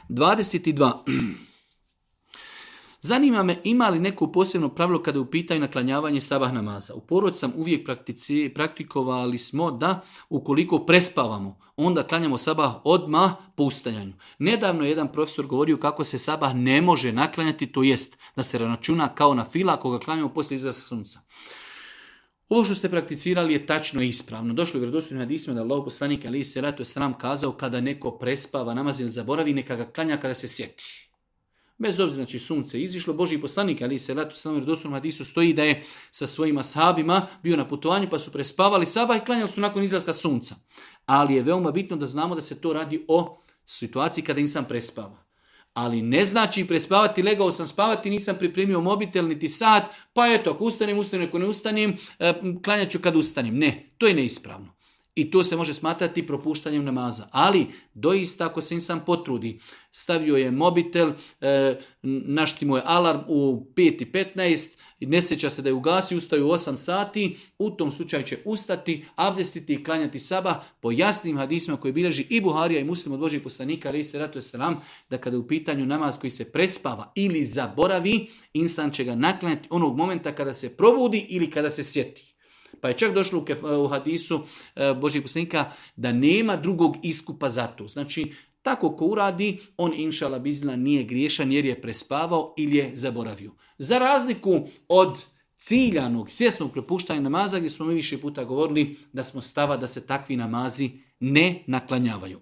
22. Zanima me ima li neko posebno pravilo kada je u pitanju naklanjavanje sabah namaza. U porodici sam uvijek praktikovali smo da ukoliko prespavamo, onda klanjamo sabah odmah po ustajanju. Nedavno je jedan profesor govorio kako se sabah ne može naklanjati, to jest da se računa kao na fila ako ga klanjamo poslije izlaska sunca. Ovo što ste prakticirali je tačno i ispravno. Došlo je u vjerodostojnim hadisima da Allahov poslanik alejhi selatu vesselam kazao kada neko prespava namaz ili zaboravi, neka ga klanja kada se sjeti. Bez obzira, znači sunce izišlo, Božji poslanik alejhi selatu vesselam u vjerodostojnom hadisu stoji da je sa svojim ashabima bio na putovanju pa su prespavali sabah i klanjali su nakon izlaska sunca. Ali je veoma bitno da znamo da se to radi o situaciji kada insan prespava. Ali ne znači prespavati, legao sam spavati, nisam pripremio mobitel niti sat, pa eto, ako ustanem, ako ne ustanem, klanjat ću kad ustanem. Ne, to je neispravno. I to se može smatrati propuštanjem namaza. Ali, doista, ako se insan potrudi, stavio je mobitel, naštimo je alarm u 5:15, ne sjeća se da je ugasio, ustaju u 8 sati, u tom slučaju će ustati, abdestiti i klanjati sabah po jasnim hadisima koji bilježi i Buharija i Muslim od Božjih poslanika, alejhi selatu vesselam, da kada je u pitanju namaz koji se prespava ili zaboravi, insan će ga naklanjati onog momenta kada se probudi ili kada se sjeti. Pa je čak došlo u hadisu Božjih poslanika da nema drugog iskupa za to. Znači, tako ko uradi, on inšala bizna nije griješan jer je prespavao ili je zaboravio. Za razliku od ciljanog, svjesnog prepuštanja namaza, gdje smo mi više puta govorili da smo stava da se takvi namazi ne naklanjavaju.